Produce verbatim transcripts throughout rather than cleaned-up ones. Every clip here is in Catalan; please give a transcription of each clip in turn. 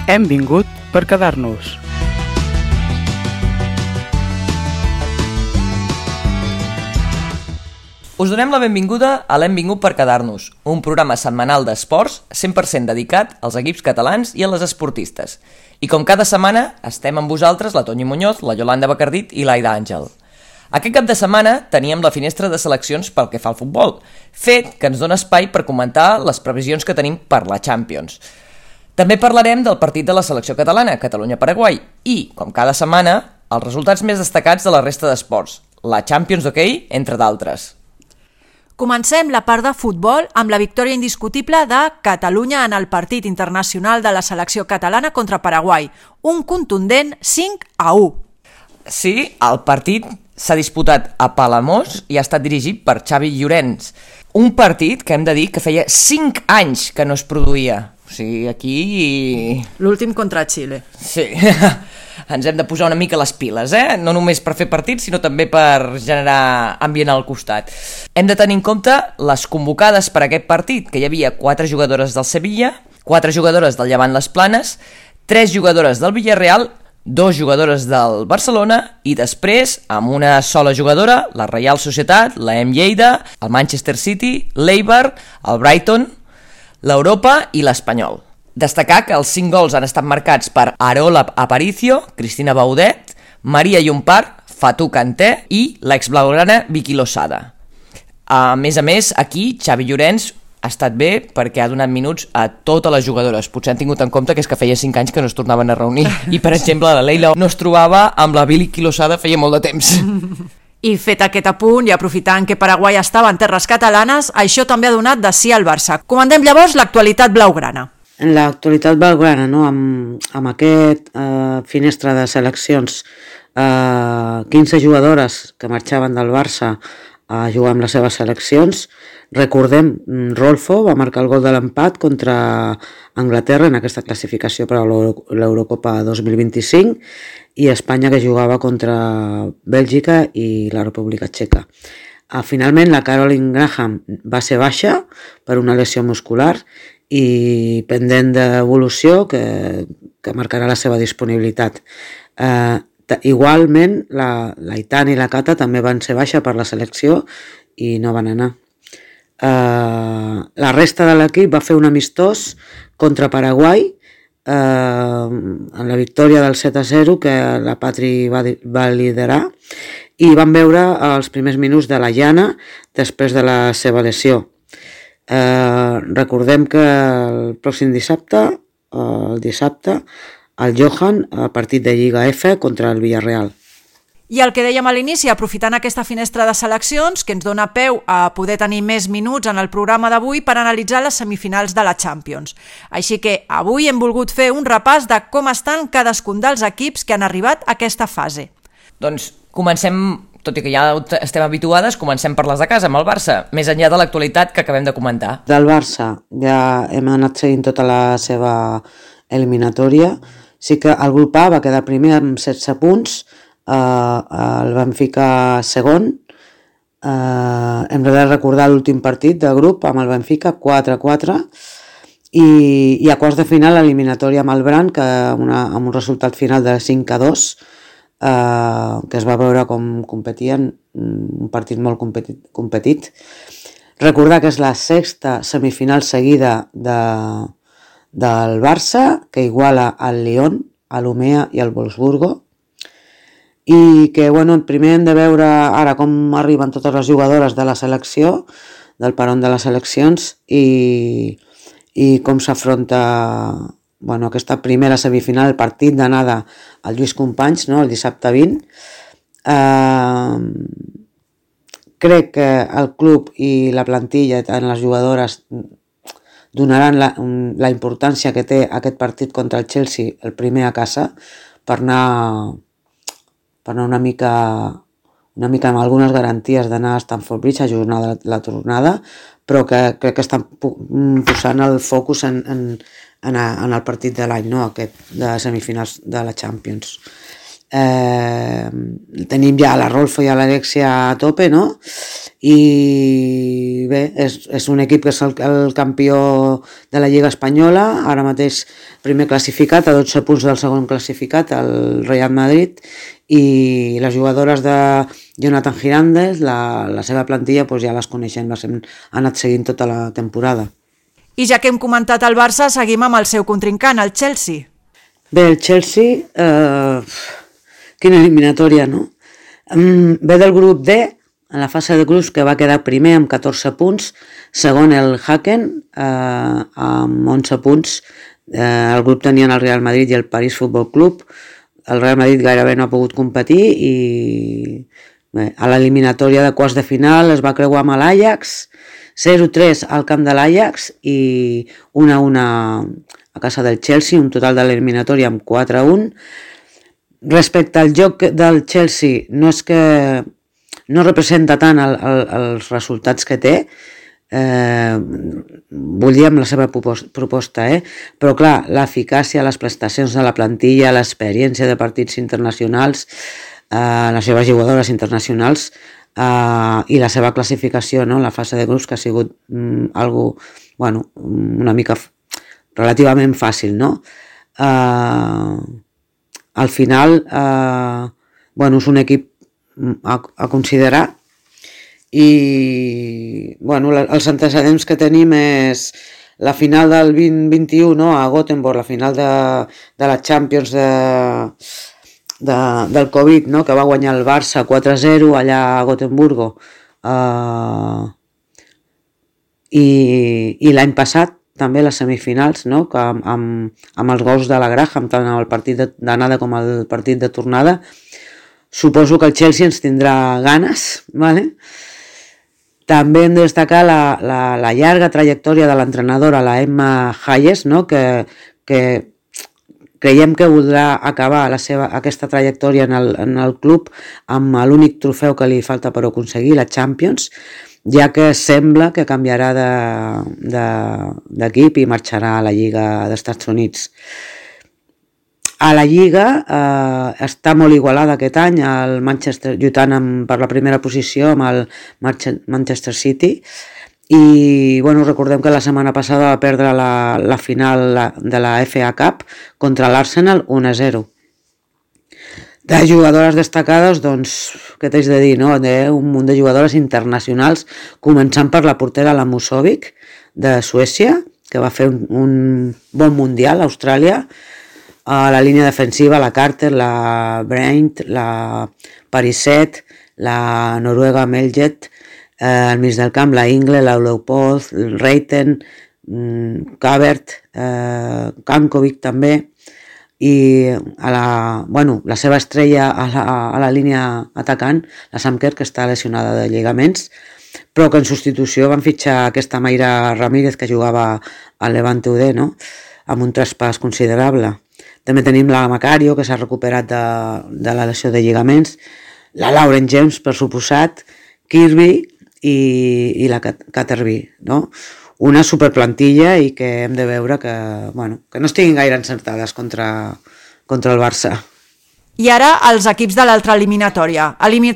Hem vingut per quedar-nos. Us donem la benvinguda a l'Hem vingut per quedar-nos, un programa setmanal d'esports cent per cent dedicat als equips catalans i a les esportistes. I com cada setmana, estem amb vosaltres la Toñi Muñoz, la Yolanda Bacardit i l'Aida Àngel. Aquest cap de setmana teníem la finestra de seleccions pel que fa al futbol, fet que ens dona espai per comentar les previsions que tenim per la Champions. També parlarem del partit de la selecció catalana, Catalunya-Paraguai, i, com cada setmana, els resultats més destacats de la resta d'esports, la Champions d'hoquei, entre d'altres. Comencem la part de futbol amb la victòria indiscutible de Catalunya en el partit internacional de la selecció catalana contra Paraguai, un contundent cinc a u. Sí, el partit s'ha disputat a Palamós i ha estat dirigit per Xavi Llorens. Un partit que hem de dir que feia cinc anys que no es produïa. O sigui, aquí... L'últim contra Xile. Sí, ens hem de posar una mica les piles, eh? No només per fer partits, sinó també per generar ambient al costat. Hem de tenir en compte les convocades per a aquest partit, que hi havia quatre jugadores del Sevilla, quatre jugadores del Llevant Les Planes, tres jugadores del Villarreal, dos jugadores del Barcelona i després, amb una sola jugadora, la Reial Societat, la M Lleida, el Manchester City, l'Eibar, el Brighton, l'Europa i l'Espanyol. Destacar que els cinc gols han estat marcats per Arola Aparicio, Cristina Baudet, Maria Llompart, Fatou Kanté i l'exblaugrana Vicky Losada. A més a més, aquí Xavi Llorens ha estat bé perquè ha donat minuts a totes les jugadores. Potser han tingut en compte que és que feia cinc anys que no es tornaven a reunir. I, per exemple, la Leila no es trobava amb la Vicky Losada feia molt de temps. I fet aquest apunt i aprofitant que Paraguai estava en terres catalanes, això també ha donat de sí al Barça. Comandem llavors l'actualitat blaugrana. En l'actualitat blaugrana, no? amb, amb aquest eh, finestra de seleccions, eh, quinze jugadores que marxaven del Barça a jugar amb les seves seleccions. Recordem, Rolfo va marcar el gol de l'empat contra Anglaterra en aquesta classificació per a l'Eurocopa dos mil vint-i-cinc i Espanya, que jugava contra Bèlgica i la República Txeca. Finalment, la Caroline Graham va ser baixa per una lesió muscular i pendent d'evolució que, que marcarà la seva disponibilitat. Eh, igualment, la, la Itana i la Cata també van ser baixa per la selecció i no van anar. Eh, la resta de l'equip va fer un amistós contra Paraguai eh, en la victòria del set a zero que la Patri va, va liderar i van veure els primers minuts de la Llana després de la seva lesió. Eh, recordem que el pròxim dissabte, el dissabte, el Johan, a partit de Lliga F contra el Villarreal. I el que dèiem a l'inici, aprofitant aquesta finestra de seleccions, que ens dona peu a poder tenir més minuts en el programa d'avui per analitzar les semifinals de la Champions. Així que avui hem volgut fer un repàs de com estan cadascun dels equips que han arribat a aquesta fase. Doncs comencem, tot i que ja estem habituades, comencem per les de casa, amb el Barça, més enllà de l'actualitat que acabem de comentar. Del Barça ja hem anat seguint tota la seva eliminatòria. Sí que el grup A va quedar primer amb setze punts, Uh, el Benfica segon. Uh, hem de recordar l'últim partit del grup amb el Benfica, quatre a quatre, i, i a quarts de final l'eliminatòria amb el Bran, que una, amb un resultat final de cinc a dos, uh, que es va veure com competien, un partit molt competit, competit. Recordar que és la sexta semifinal seguida de, del Barça, que iguala al Lyon, a l'Umea i al Wolfsburgo, i que bueno, primer hem de veure ara com arriben totes les jugadores de la selecció, del peron de les seleccions, i, i com s'afronta bueno, aquesta primera semifinal, el partit d'anada al Lluís Companys, no? El dissabte vint. Eh, crec que el club i la plantilla, tant les jugadores, donaran la, la importància que té aquest partit contra el Chelsea, el primer a casa, per anar... per anar una mica, una mica amb algunes garanties d'anar a Stamford Bridge a jugar la, la tornada, però que crec que estan posant el focus en, en, en, en el partit de l'any, no? Aquest de semifinals de la Champions. Eh, tenim ja la Rolfo i l'Alexia a tope, no? I bé, és, és un equip que és el, el campió de la Lliga Espanyola, ara mateix primer classificat, a dotze punts del segon classificat, el Real Madrid, i les jugadores de Jonathan Girandes, la, la seva plantilla, doncs ja les coneixem, les hem anat seguint tota la temporada. I ja que hem comentat el Barça, seguim amb el seu contrincant, el Chelsea. Bé, el Chelsea, eh, quina eliminatòria, no? Ve del grup D, en la fase de grups, que va quedar primer amb catorze punts, segon el Haken eh, amb onze punts. Eh, el grup tenien el Real Madrid i el París Futbol Club. El Real Madrid gairebé no ha pogut competir i bé, a l'eliminatòria de quarts de final es va creuar amb l'Ajax, zero tres al camp de l'Ajax i u a u a casa del Chelsea, un total de l'eliminatòria amb quatre a un. Respecte al joc del Chelsea, no és que no representa tant el, el, els resultats que té, eh, volíem la seva proposta, eh? Però clar, l'eficàcia, les prestacions de la plantilla, l'experiència de partits internacionals, eh, les seves jugadores internacionals eh, i la seva classificació, no? La fase de grups, que ha sigut mm, algo, bueno, una mica relativament fàcil, no? Eh, al final, eh, bueno, és un equip a, a considerar i bueno, els antecedents que tenim és la final del vint vint-i-u, no? A Gothenburg, la final de, de la Champions de, de, del Covid, no? Que va guanyar el Barça quatre a zero allà a Gotemburgo, uh, i, i l'any passat també les semifinals, no? Que amb, amb, amb els gols de la Graham, tant el partit d'anada com el partit de tornada. Suposo que el Chelsea ens tindrà ganes, ¿vale? També hem de destacar la, la, la llarga trajectòria de l'entrenadora, la Emma Hayes, no? que, que creiem que voldrà acabar la seva, aquesta trajectòria en el, en el club amb l'únic trofeu que li falta per aconseguir, la Champions, ja que sembla que canviarà d'equip i marxarà a la Lliga d'Estats Units. A la Lliga eh, està molt igualada aquest any, el Manchester lluitant amb, per la primera posició amb el Manchester City, i bueno, recordem que la setmana passada va perdre la, la final de la F A Cup contra l'Arsenal un a zero. De jugadores destacades, doncs, què t'haig de dir, no? De un munt de jugadores internacionals, començant per la portera la Musovic, de Suècia, que va fer un, un bon mundial a Austràlia. A la línia defensiva, la Carter, la Brandt, la Parisset, la Noruega Meljet, eh, al mig del camp, la Ingle, la Leopold, el Reiten, mm, Kabert, eh, Kankovic també, i a la, bueno, la seva estrella a la, a la línia atacant, la Samker, que està lesionada de lligaments, però que en substitució van fitxar aquesta Mayra Ramírez, que jugava al Levante U D, no? Amb un traspàs considerable. També tenim la Macario, que s'ha recuperat de, de la lesió de lligaments, la Lauren James, per suposat, Kirby i, i la Caterby, no? Una superplantilla i que hem de veure que, bueno, que no estiguin gaire encertades contra, contra el Barça. I ara els equips de l'altra eliminatòria. Elimi...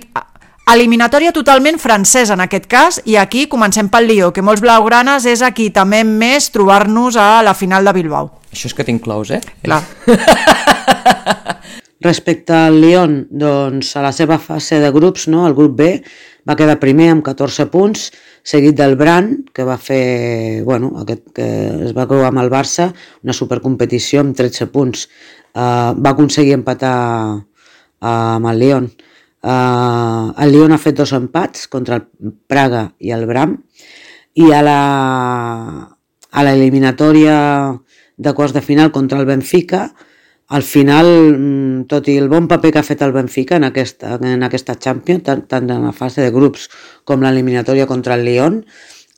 Eliminatòria totalment francesa en aquest cas, i aquí comencem pel Lió, que molts blaugranes és aquí també més trobar-nos a la final de Bilbao. Això és que t'inclous, eh? Clar. Respecte al Lyon, doncs a la seva fase de grups, no, el grup B, va quedar primer amb catorze punts, seguit del Brandt, que va fer, bueno, aquest, que es va creuar amb el Barça, una supercompetició amb tretze punts. Uh, va aconseguir empatar uh, amb el Lyon. Uh, el Lyon ha fet dos empats contra el Praga i el Bram, i a la a l'eliminatòria de quarts de final contra el Benfica, al final, tot i el bon paper que ha fet el Benfica en aquesta, en aquesta Champions, tant, tant en la fase de grups com l'eliminatòria contra el Lyon,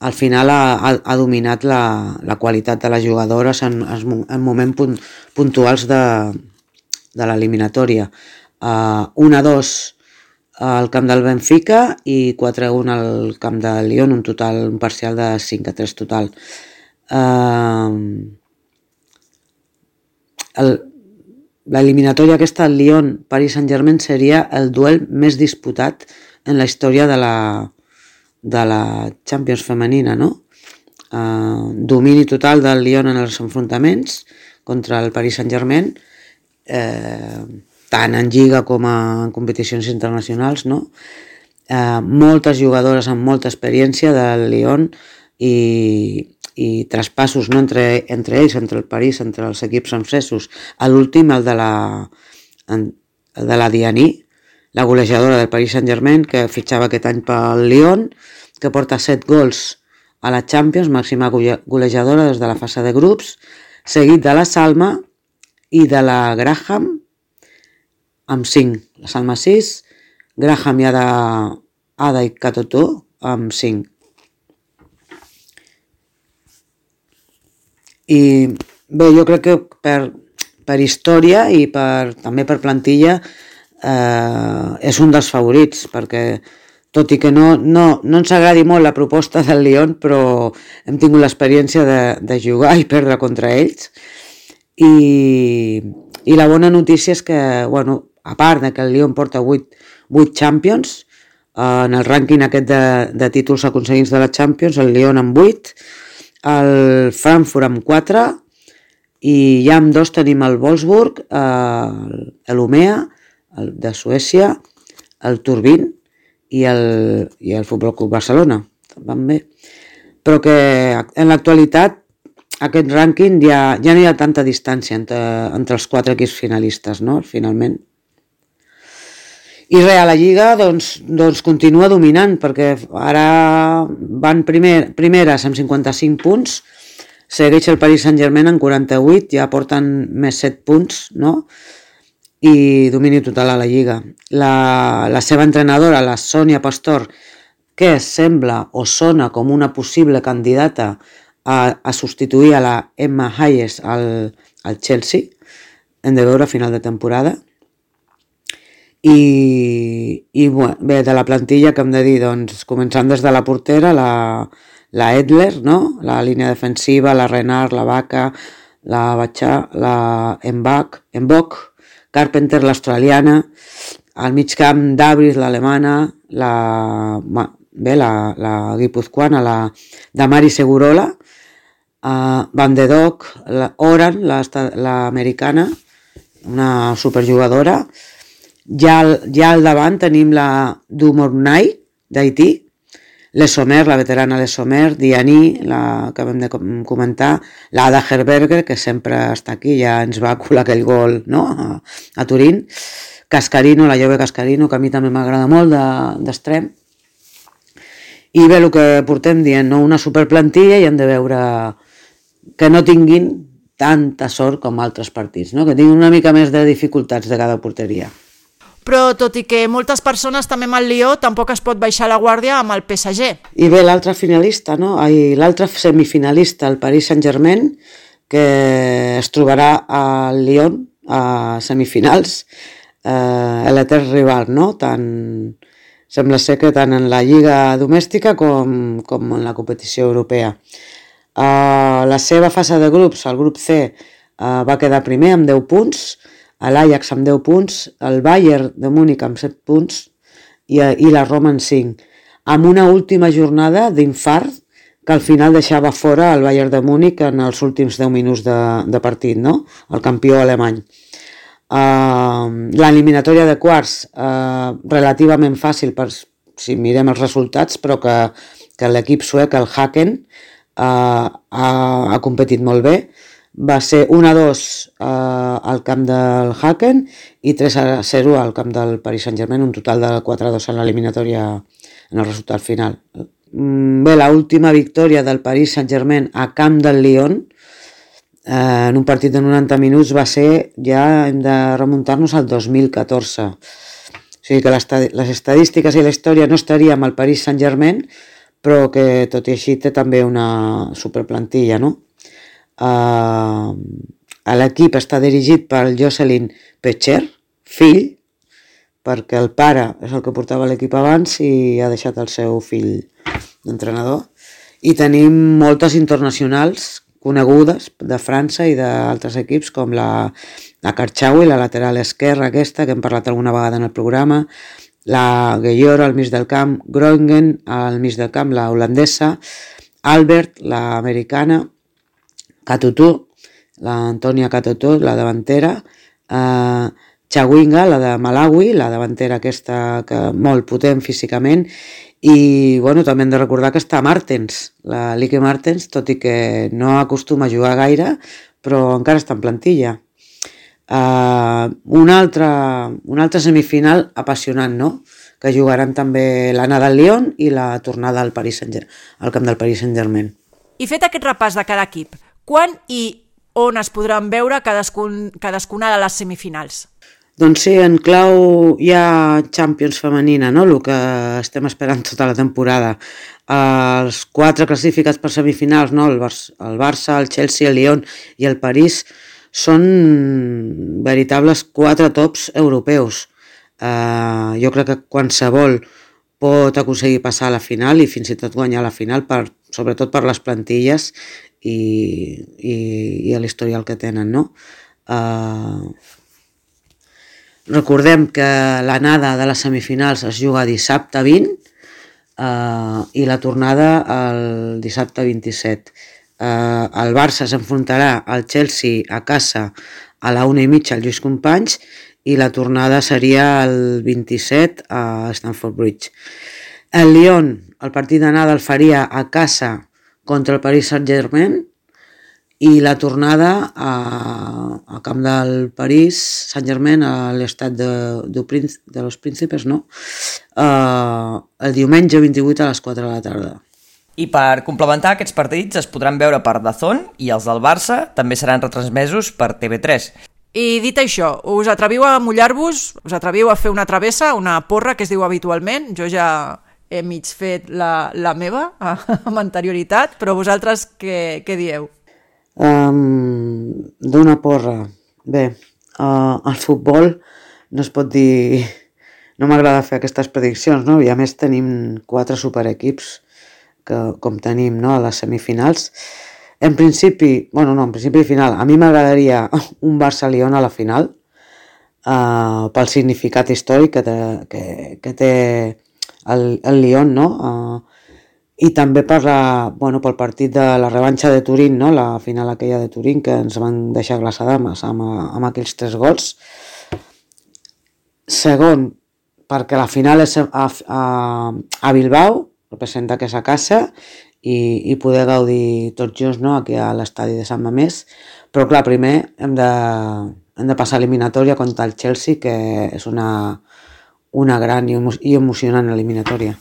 al final ha, ha, ha dominat la, la qualitat de les jugadores en, en moments punt, puntuals de, de l'eliminatòria. Uh, un a dos al camp del Benfica i quatre a un al camp del Lyon, un total, un parcial de cinc a tres total. Uh, el, l'eliminatòria aquesta al Lyon-Paris Saint-Germain seria el duel més disputat en la història de la, de la Champions femenina, no? Uh, domini total del Lyon en els enfrontaments contra el Paris Saint-Germain, eh, tant en lliga com en competicions internacionals, no? Uh, moltes jugadores amb molta experiència del Lyon i, i traspassos, no? entre, entre ells, entre el París, entre els equips francesos. A l'últim, el de la, el de la Diani, la golejadora del Paris Saint-Germain, que fitxava aquest any pel Lyon, que porta set gols a la Champions, màxima golejadora des de la fase de grups, seguit de la Salma i de la Graham amb cinc. La Salma sis, Graham i Ada, Ada i Katoto amb cinc. I bé, jo crec que per, per història i per, també per plantilla eh, és un dels favorits, perquè tot i que no, no, no ens agradi molt la proposta del Lyon, però hem tingut l'experiència de, de jugar i perdre contra ells. I, i la bona notícia és que, bueno, a part de que el Lyon porta vuit Champions, eh, en el rànquing aquest de, de títols aconseguits de la Champions, el Lyon amb vuit, el Frankfurt amb quatre, i ja amb dos tenim el Wolfsburg, eh, l'Umea, el de Suècia, el Turbin i el, i el Futbol Club Barcelona. Van bé. Però que en l'actualitat aquest rànquing ja, ja no hi ha tanta distància entre, entre els quatre equips finalistes, no? Finalment. I res, a la Lliga doncs, doncs continua dominant, perquè ara van primer, primeres amb cinquanta-cinc punts, segueix el Paris Saint-Germain amb quaranta-vuit, ja porten més set punts, no? I domini total a la Lliga. La, la seva entrenadora, la Sonia Pastor, que sembla o sona com una possible candidata a, a substituir a la Emma Hayes al, al Chelsea, hem de veure a final de temporada. I, i bé, de la plantilla que hem de dir, doncs, començant des de la portera, la, la Edler, no? La línia defensiva, la Renard, la Vaca, la Batxà, la Mbach, Mbach, Carpenter, l'australiana, al mig camp d'Abris, l'alemana, la, bé, la, la guipuzcoana, la Damari Segurola, uh, Van de Dock, la Oran, l'americana, una superjugadora. Ja, ja al davant tenim la Dumornay d'Haití, Les Sommer, la veterana Les Sommer, Diani, la que vam de comentar, l'Ada Herberger, que sempre està aquí, ja ens va colar aquell gol, no? a, a Turín, Cascarino, la jove Cascarino, que a mi també m'agrada molt d'extrem. I bé, el que portem dient, no? Una superplantilla, i hem de veure que no tinguin tanta sort com altres partits, no? Que tinguin una mica més de dificultats de cada porteria. Però tot i que moltes persones també amb el Lió, tampoc es pot baixar la guàrdia amb el P S G. I bé, l'altre finalista, no? L'altre semifinalista, el Paris Saint-Germain, que es trobarà al Lyon a semifinals, eh, l'etern rival, no? Tant, sembla ser que tant en la lliga domèstica com, com en la competició europea. Eh, la seva fase de grups, el grup C, eh, va quedar primer amb deu punts, l'Ajax amb deu punts, el Bayern de Múnich amb set punts i, i la Roma amb cinc, amb una última jornada d'infart que al final deixava fora el Bayern de Múnich en els últims deu minuts de, de partit, no? El campió alemany. Uh, L'eliminatòria de quarts, uh, relativament fàcil per, si mirem els resultats, però que, que l'equip suec, el Haken, uh, ha, ha competit molt bé. Va ser un a dos eh, al camp del Haken i tres a zero al camp del Paris Saint-Germain, un total de quatre a dos en l'eliminatòria en el resultat final. Bé, l'última victòria del Paris Saint-Germain a camp del Lyon eh, en un partit de noranta minuts va ser, ja hem de remuntar-nos al dos mil catorze. O sigui que les estadístiques i la història no estaria amb el Paris Saint-Germain, però que tot i així té també una superplantilla, no? Uh, l'equip està dirigit per Jocelyn Pecher, fill, perquè el pare és el que portava l'equip abans i ha deixat el seu fill d'entrenador. I tenim moltes internacionals conegudes de França i d'altres equips com la, la Karchaoui, la lateral esquerra aquesta, que hem parlat alguna vegada en el programa, la Gueyoro al mig del camp, Groningen al mig del camp, la holandesa, Albert, la americana, Katutu, la Antonia Katutu, la davantera, eh, Chawinga, la de Malawi, la davantera aquesta que molt potent físicament, i bueno, també hem de recordar que està Martens, la Lieke Martens, tot i que no acostuma a jugar gaire, però encara està en plantilla. Uh, una, altra, una altra semifinal apassionant, no? Que jugaran també l'Anna del Lyon i la tornada al, Paris Saint-Germain, al camp del Paris Saint-Germain. I fet aquest repàs de cada equip, quan i on es podran veure cadascun, cadascuna de les semifinals? Doncs sí, en clau hi ha Champions femenina, no? El que estem esperant tota la temporada. Els quatre classificats per semifinals, no? el, Bar- el Barça, el Chelsea, el Lyon i el París, són veritables quatre tops europeus. Uh, jo crec que qualsevol pot aconseguir passar a la final i fins i tot guanyar la final, per, sobretot per les plantilles i, i, i l'historial que tenen, no? Uh, Recordem que l'anada de les semifinals es juga dissabte vint eh, i la tornada el dissabte vint-i-set. Eh, el Barça s'enfrontarà al Chelsea a casa a la una i mitja al Lluís Companys i la tornada seria el vint-i-set a Stamford Bridge. El Lyon, el partit d'anada el faria a casa contra el Paris Saint-Germain i la tornada a, a camp del París Saint-Germain a l'estat de, de, de los Príncipes, no? Uh, el diumenge vint-i-vuit a les quatre de la tarda. I per complementar aquests partits es podran veure per D A Z N i els del Barça també seran retransmesos per T V tres. I dit això, us atreviu a mullar-vos? Us atreviu a fer una travessa, una porra que es diu habitualment? Jo ja he mig fet la, la meva amb anterioritat, però vosaltres què, què dieu? Um, d'una porra. Bé, uh, el futbol no es pot dir... No m'agrada fer aquestes prediccions, no? I a més tenim quatre superequips que, com tenim, no? A les semifinals. En principi, bueno, no, en principi final, a mi m'agradaria un Barça-Lyon a la final, uh, pel significat històric que té, que, que té el, el Lyon, no? Uh, I també per la, bueno, pel partit de la revanxa de Turín, no? La final aquella de Turín, que ens van deixar glaçades amb, amb aquells tres gols. Segon, perquè la final és a, a, a Bilbao, representa que és a casa, i, i poder gaudir tots junts, no? Aquí a l'estadi de Sant Mamés. Però clar, primer hem de, hem de passar eliminatòria contra el Chelsea, que és una, una gran i, emo, i emocionant eliminatòria.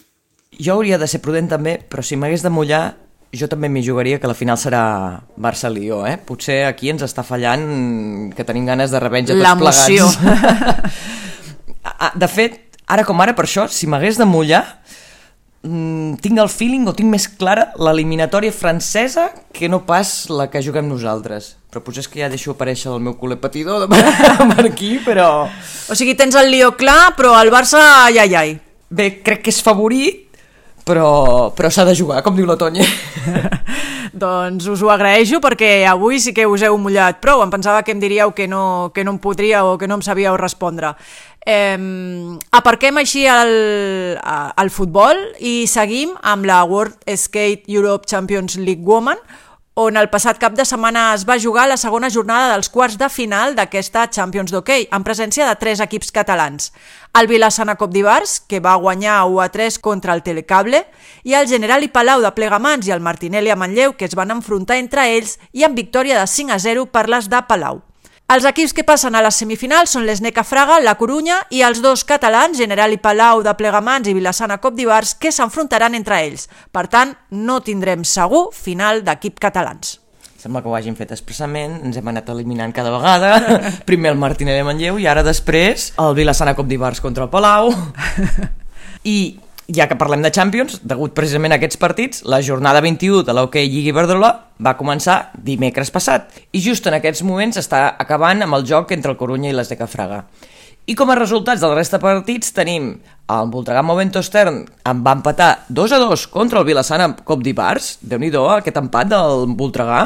Jo hauria de ser prudent també, però si m'hagués de mullar, jo també m'hi jugaria que la final serà Barça-Lió, eh? Potser aquí ens està fallant que tenim ganes de revenja tots l'emoció. Plegats. De fet, ara com ara, per això, si m'hagués de mullar, tinc el feeling o tinc més clara l'eliminatòria francesa que no pas la que juguem nosaltres. Però potser és que ja deixo aparèixer el meu culer patidor de per aquí, però... O sigui, tens el Lió clar, però el Barça, ai, ai, ai. Bé, crec que és favorit, però, però s'ha de jugar, com diu la Tonya. Doncs us ho agraeixo perquè avui sí que us heu mullat prou. Em pensava que em diríeu que no, que no em podríeu o que no em sabíeu respondre. Eh, aparquem així el, el futbol i seguim amb la World Skate Europe Champions League Women, on el passat cap de setmana es va jugar la segona jornada dels quarts de final d'aquesta Champions d'hoquei, en presència de tres equips catalans. El Vilassana Cop d'Ivars, que va guanyar u a tres contra el Telecable, i el Generali Palau de Plegamans i el Martinelli a Manlleu, que es van enfrontar entre ells i amb victòria de cinc a zero per les de Palau. Els equips que passen a les semifinals són l'Sneca Fraga, la Corunya i els dos catalans, Generali Palau de Plegamans i Vilassana Cop d'Ivars, que s'enfrontaran entre ells. Per tant, no tindrem segur final d'equip catalans. Sembla que ho hagin fet expressament, ens hem anat eliminant cada vegada, primer el Martinelli a Manlleu i ara després el Vilassana Cop d'Ivars contra el Palau. I ja que parlem de Champions, degut precisament a aquests partits, la jornada vint-i-u de l'Hockey Lliga Iberdrola va començar dimecres passat i just en aquests moments està acabant amb el joc entre el Corunya i l'Sneca Fraga. I com a resultats de la resta de partits tenim el Voltregà Movento Stern en va empatar dos a dos contra el Vilassana Cop d'Ivars, Déu-n'hi-do aquest empat del Voltregà.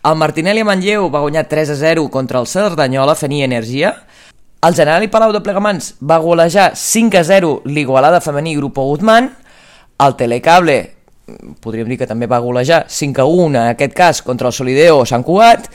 El Martinelli a Manlleu va guanyar tres a zero contra el Cerdanyola Fenia Energia. El Generali Palau de Plegamans va golejar cinc a zero l'Igualada Femení Grupo Guzmán. El Telecable, podríem dir que també va golejar cinc a u en aquest cas contra el Solideo Sant Cugat.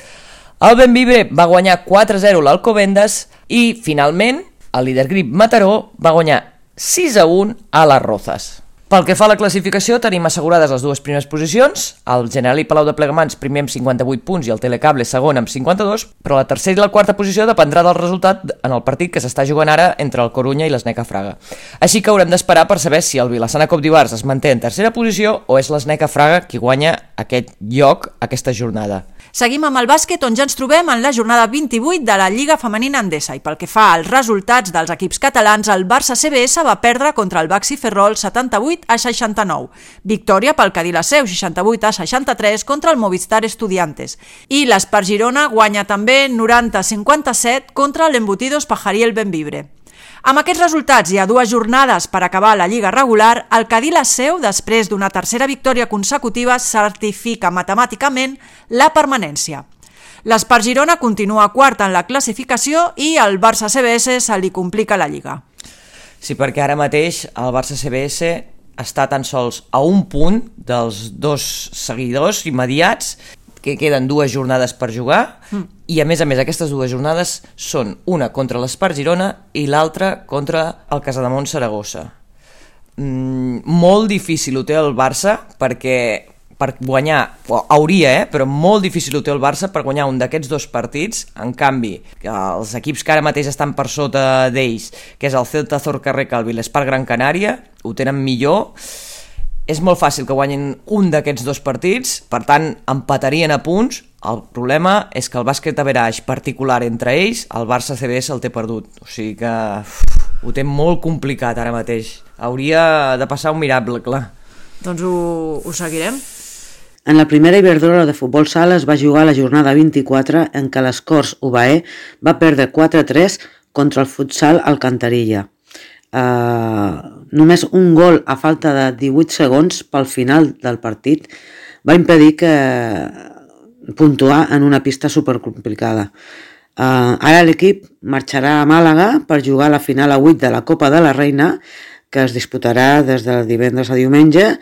El Benvibre va guanyar quatre a zero l'Alcobendas i, finalment, el líder grip Mataró va guanyar sis a u a les Rozas. Pel que fa a la classificació, tenim assegurades les dues primeres posicions, el Generali Palau de Plegamans primer amb cinquanta-vuit punts i el Telecable segon amb cinquanta-dos, però la tercera i la quarta posició dependrà del resultat en el partit que s'està jugant ara entre el Corunya i l'Sneca Fraga. Així que haurem d'esperar per saber si el Vilassana Cop d'Ivars es manté en tercera posició o és l'Sneca Fraga qui guanya aquest lloc aquesta jornada. Seguim amb el bàsquet, on ja ens trobem en la jornada vint-i-vuit de la Lliga Femenina Endesa, i pel que fa als resultats dels equips catalans, el Barça C B S va perdre contra el Baxi Ferrol setanta-vuit a seixanta-nou. Victòria pel Cadí la Seu seixanta-vuit a seixanta-tres contra el Movistar Estudiantes. I l'Espar Girona guanya també noranta a cinquanta-set contra l'Embutidos Pajariel Benvibre. Amb aquests resultats i a dues jornades per acabar la Lliga regular, el Cadí la Seu, després d'una tercera victòria consecutiva, certifica matemàticament la permanència. L'Espar Girona continua quart en la classificació i el Barça C B S se li complica la Lliga. Sí, perquè ara mateix el Barça C B S està tan sols a un punt dels dos seguidors immediats, que queden dues jornades per jugar, mm. i a més a més aquestes dues jornades són una contra l'Espar Girona i l'altra contra el Casademont Saragossa. Mm, molt difícil ho té el Barça perquè per guanyar, hauria, eh, però molt difícil ho té el Barça per guanyar un d'aquests dos partits. En canvi, els equips que ara mateix estan per sota d'ells, que és el Celta Zorca-Recalvi i l'Espar Gran Canària, ho tenen millor. És molt fàcil que guanyin un d'aquests dos partits, per tant, empatarien a punts. El problema és que el bàsquet average particular entre ells, el Barça C B S el té perdut. O sigui que uf, ho té molt complicat ara mateix. Hauria de passar un miracle, clar. Doncs ho, ho seguirem. En la primera Iberdrola de futbol sala es va jugar la jornada vint-i-quatre en què l'Escorts U B A E va perdre quatre a tres contra el futsal Alcantarilla. Uh, només un gol a falta de divuit segons pel final del partit va impedir que puntuar en una pista supercomplicada. Uh, ara l'equip marxarà a Màlaga per jugar a la final a vuit de la Copa de la Reina, que es disputarà des de divendres a diumenge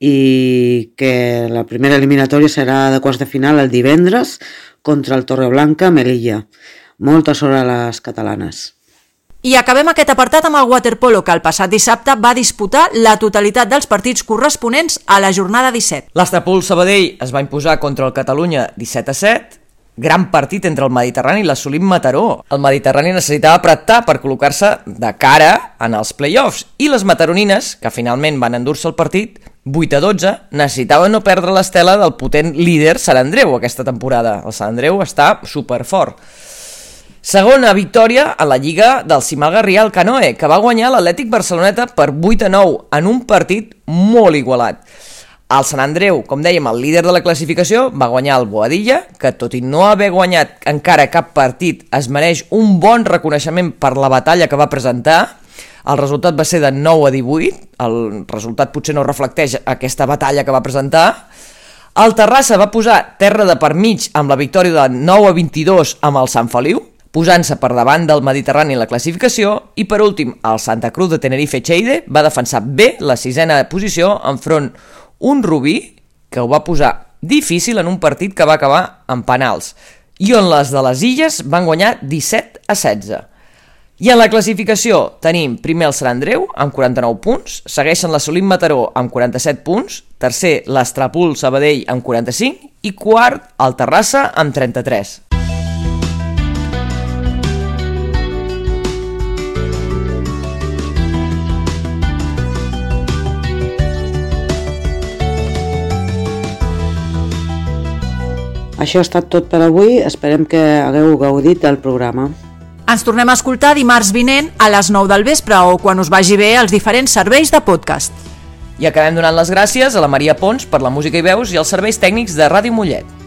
i que la primera eliminatòria serà de quarts de final el divendres contra el Torreblanca Melilla. Molta sort a les catalanes. I acabem aquest apartat amb el waterpolo, que el passat dissabte va disputar la totalitat dels partits corresponents a la jornada disset. L'Astrapol Sabadell es va imposar contra el Catalunya disset a set, gran partit entre el Mediterrani i l'Assolim Mataró. El Mediterrani necessitava apretar per col·locar-se de cara en els play-offs, i les mataronines, que finalment van endur-se el partit, vuit a dotze, necessitaven no perdre l'estela del potent líder Sant Andreu aquesta temporada. El Sant Andreu està superfort. Segona victòria a la Lliga del Cimal Garrià al Canoe, que va guanyar l'Atlètic Barceloneta per vuit a nou en un partit molt igualat. El Sant Andreu, com dèiem, el líder de la classificació, va guanyar el Boadilla, que tot i no haver guanyat encara cap partit, es mereix un bon reconeixement per la batalla que va presentar. El resultat va ser de nou a divuit, el resultat potser no reflecteix aquesta batalla que va presentar. El Terrassa va posar terra de per mig amb la victòria de nou a vint-i-dos amb el Sant Feliu, posant-se per davant del Mediterrani en la classificació, i per últim el Santa Cruz de Tenerife-Cheide va defensar bé la sisena posició enfront un Rubí que ho va posar difícil en un partit que va acabar en penals, i on les de les Illes van guanyar disset a setze. I en la classificació tenim primer el Sant Andreu amb quaranta-nou punts, segueixen l'Assolim Mataró amb quaranta-set punts, tercer l'Astrapol Sabadell amb quaranta-cinc i quart el Terrassa amb trenta-tres. Això ha estat tot per avui, esperem que hagueu gaudit del programa. Ens tornem a escoltar dimarts vinent a les nou del vespre o quan us vagi bé als diferents serveis de podcast. I acabem donant les gràcies a la Maria Pons per la música i veus i els serveis tècnics de Ràdio Mollet.